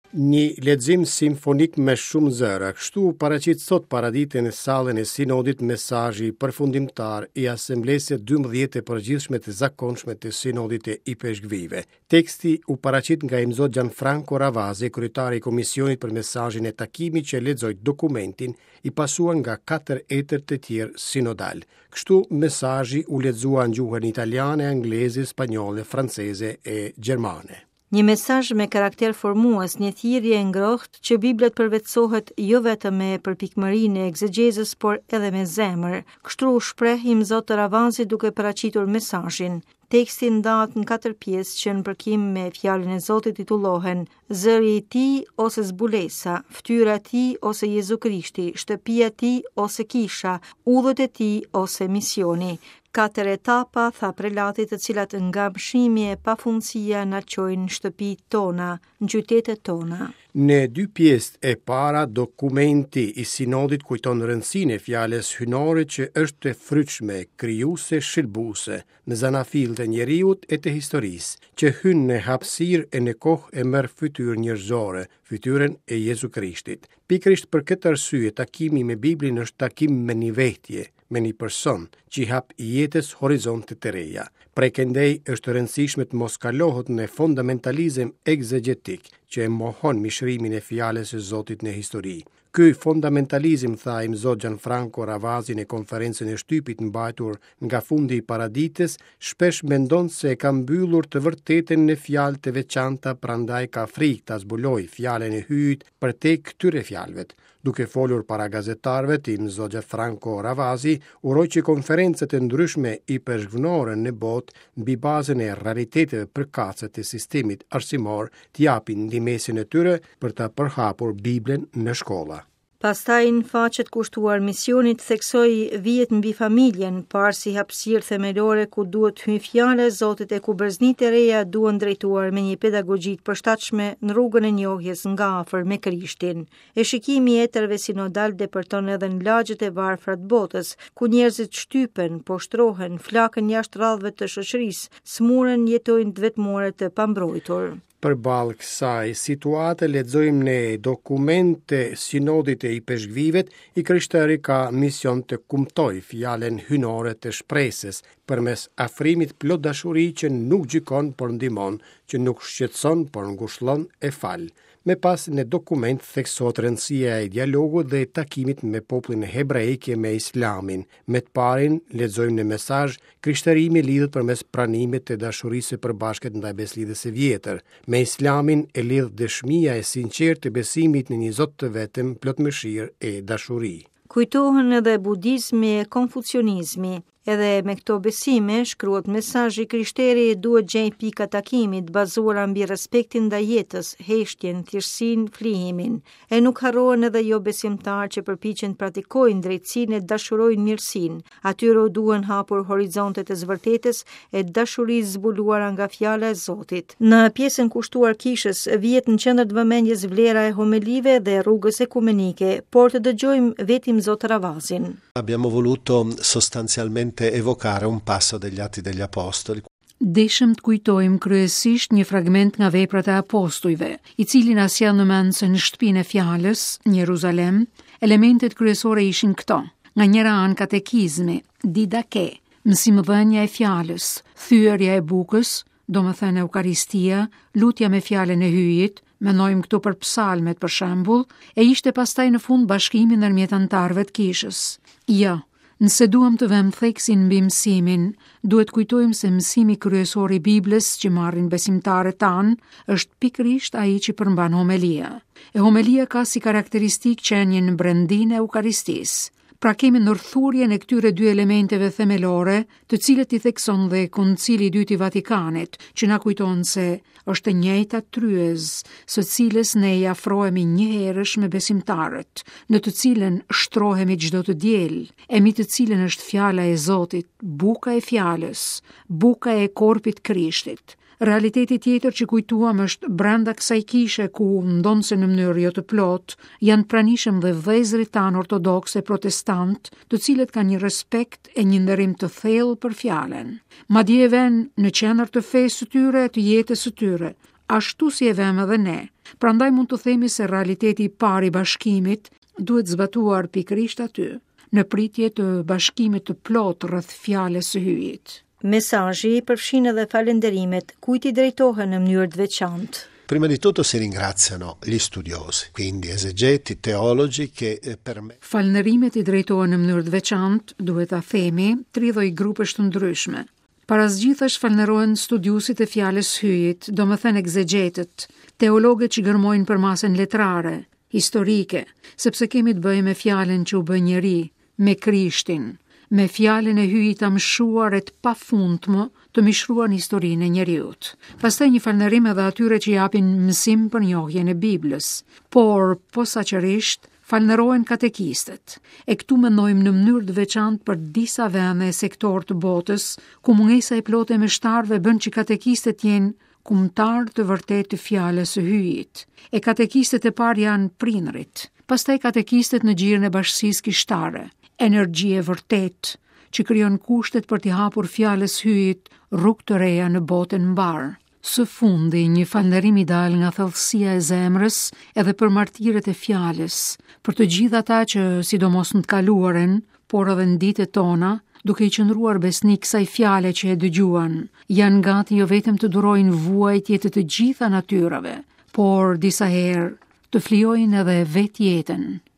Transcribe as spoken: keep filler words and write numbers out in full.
Një lexim simfonik me shumë zëra, kështu u paraqit sot paradite në sallën e Sinodit mesazhi përfundimtar i Asamblesë dymbëdhjetë të përgjithshme të zakonshme të Sinodit të Ipeshkvive. Teksti u paraqit nga Imzot Gianfranco Ravasi, kryetari i Komisionit për mesazhin e takimit që lexoi dokumentin, i pasuar nga katër etër të tjerë sinodal. Kështu mesazhi u lexua në gjuhën italiane, angleze, spanjolle, franceze e gjermane. Një mesazh me karakter formues, një thirrje e ngrohtë që Bibla të përvetësohet jo vetëm me përpikmërinë e egzegjezës, por edhe me zemër. Kështu u shpreh Imzot Ravazi duke paraqitur mesazhin. Teksti ndahet në katër pjesë që në përkim me fjalën e Zotit titullohen Zëri i tij ose zbulesa, fytyra e tij ose Jezu Krishti, shtëpia e tij ose kisha, udhët e tij ose misioni. Katër etapa, tha prelati, të cilat nga mëshimi e pafundësia na çojnë në shtëpitë tona, në qytetet tona. Në dy pjesët e para, dokumenti i sinodit kujton rëndësinë e fjalës hyjnore që është e frytshme, krijuese, shëlbuese, në zanafillë të njeriut e të historisë, që hyn në hapësirë e në kohë e merr fytyrë njerëzore, fytyrën e Jezu Krishtit. Pikërisht për këtë arsye, takimi me Biblin është takim me një vetje, me një person që i hap jetës horizonte të reja. Prej këndej është e rëndësishme të mos kalohet në fundamentalizëm egzegjetik që e mohon mishërimin e fjalës së Zotit në histori. Ky fundamentalizëm, tha Imzot Gianfranco Ravasi në konferencën e shtypit mbajtur nga fundi i paraditës, shpesh mendon se e ka mbyllur të vërtetën në fjalë të veçanta, prandaj ka frikë ta zbulojë fjalën e Hyjit përtej këtyre fjalëve. Duke folur para gazetarëve, Imzot Gianfranco Ravasi uroi që konferencat e ndryshme ipeshkvnore në botë mbi bazën e realiteteve përkatëse të sistemit arsimor të japin ndihmesën e tyre për ta përhapur Biblën në shkolla. Pastaj në faqet kushtuar misionit theksoi vijet mbi familjen, parë si hapësirë themelore ku duhet hyjë fjala e Zotit e ku breznitë e reja duhen drejtuar me një pedagogji të përshtatshme në rrugën e njohjes nga afër me Krishtin. E shikimi i etërve sinodal depërton edhe në lagjet e varfra të botës, ku njerëzit shtypen, poshtrohen, flaken jashtë radhëve të shoqërisë, smuren, jetojnë të vetmuar e të pambrojtur. Përballë kësaj situate lexojmë në dokumente sinodit e ipeshkvivet, i krishteri ka mision të kumtojë fjalën hyjnore të shpresës përmes afrimit plot dashuri që nuk gjykon por ndihmon, që nuk shqetëson por ngushllon e fal. Me pas në dokument theksohet rëndësia e dialogut dhe takimit me popullin hebreik e me islamin. Me të parin lexojmë në mesazh, krishterimi lidhet përmes pranimit të dashurisë së përbashkët ndaj beslidhjes së vjetër. Me islamin e lidh dëshmia e sinqertë e besimit në një Zot të vetëm, plot mëshirë e dashuri. Kujtohen edhe budizmi e konfucionizmi. Edhe me këto besime, shkruhet mesazhi, krishteri duhet gjej pika takimit bazuara mbi respektin ndaj jetës, heshtjen, thjeshtësinë, flijimin. E nuk harrohen edhe jo besimtarë që përpiqen të praktikojnë drejtësinë e dashurojnë mirësinë. Atyre u duhen hapur horizontet e zvërtetës e dashurisë zbuluara nga fjala e Zotit. Në pjesën kushtuar kishës vihet në qendër të vëmendjes vlera e homelive dhe rrugës ekumenike, por të dëgjojmë vetëm Zot Ravazin. Abbiamo voluto sostanzialmente evocare un passo degli Atti degli Apostoli. Deshëm të kujtojmë kryesisht një fragment nga veprat e apostujve, i cili na sjell në mend se në shtëpinë e fjalës, në Jeruzalem, elementet kryesore ishin këto. Nga njëra anë katekizmi, didake, mësimdhënia e fjalës, thyerja e bukës, domethënë Eukaristia, lutja me fjalën e Hyjit, mendojmë këtu për psalmet për shembull, e ishte pastaj në fund bashkimi ndërmjet anëtarëve të kishës. Jo, nëse duam të vëmë theksin mbi mësimin, duhet kujtojmë se mësimi kryesor i Biblës që marrin besimtarët tanë është pikërisht ai që përmban homelia. E homelia ka si karakteristikë qenien në brendinë e Eukaristisë. Pra kemi ndërthurjen e këtyre dy elementeve themelore, të cilët i thekson dhe Koncili i Dytë i Vatikanit, që na kujton se është e njëjta tryez, së cilës ne i afrohemi njëherësh me besimtarët, në të cilën shtrohemi çdo të diel, e mbi të cilën është fjala e Zotit, buka e fjalës, buka e korpit Krishtit. Realiteti tjetër që kujtuam është brenda kësaj kishe ku, ndonëse në mënyrë jo të plotë, janë pranishëm dhe vëllezërit tanë ortodoksë e protestant, të cilët kanë një respekt e një nderim të thellë për fjalën. Madje e vënë në qendër të fesë së tyre e të jetës së tyre. ashtu si e vëmë edhe ne. Prandaj mund të themi se realiteti i parë i bashkimit duhet zbatuar pikërisht aty, në pritje të bashkimit të plotë rreth fjalës së Hyjit. Mesazhi përfshin edhe falënderimet, kujt i drejtohen në mënyrë të veçantë. Prima di tutto si ringraziano gli studiosi, quindi esegeti, teologi che eh, per me... Falënderimet i drejtohen në mënyrë të veçantë, duhet ta themi, tri lloj grupesh të ndryshme. Para së gjithash falënderohen studiuesit e fjalës Hyjit, domethënë egzegjetët, teologët që gërmojnë përmasën letrare, historike, sepse kemi të bëjmë me fjalën që u bë njeri, me Krishtin, me fjalën e Hyjit amshuar e të pafundmë të mishruar në historinë e njeriut. Pastaj një falënderim edhe atyre që japin mësim për njohjen e Biblës, por posaçërisht falënderohen katekistët. E këtu mendojmë në mënyrë të veçantë për disa vende e sektor të botës, ku mungesa e plotë e meshtarëve bën që katekistët jenë kumtar të vërtetë të fjalës së Hyjit. E katekistët e parë janë prindrit, pastaj katekistët në gjirin e bashkësisë kishtare, energji e vërtetë që krijon kushtet për t'i hapur fjalës Hyjit rrugë të reja në botën mbar. Së fundi, një falënderim i dal nga thellësia e zemrës edhe për martirët e fjalës, për të gjithë ata që, sidomos në të kaluarën, por edhe në ditët tona, duke i qëndruar besnik kësaj fjale që e dëgjuan, janë gati jo vetëm të durojnë vuajtje të të gjitha natyrave, por disa herë të flijojnë edhe vetë jetën.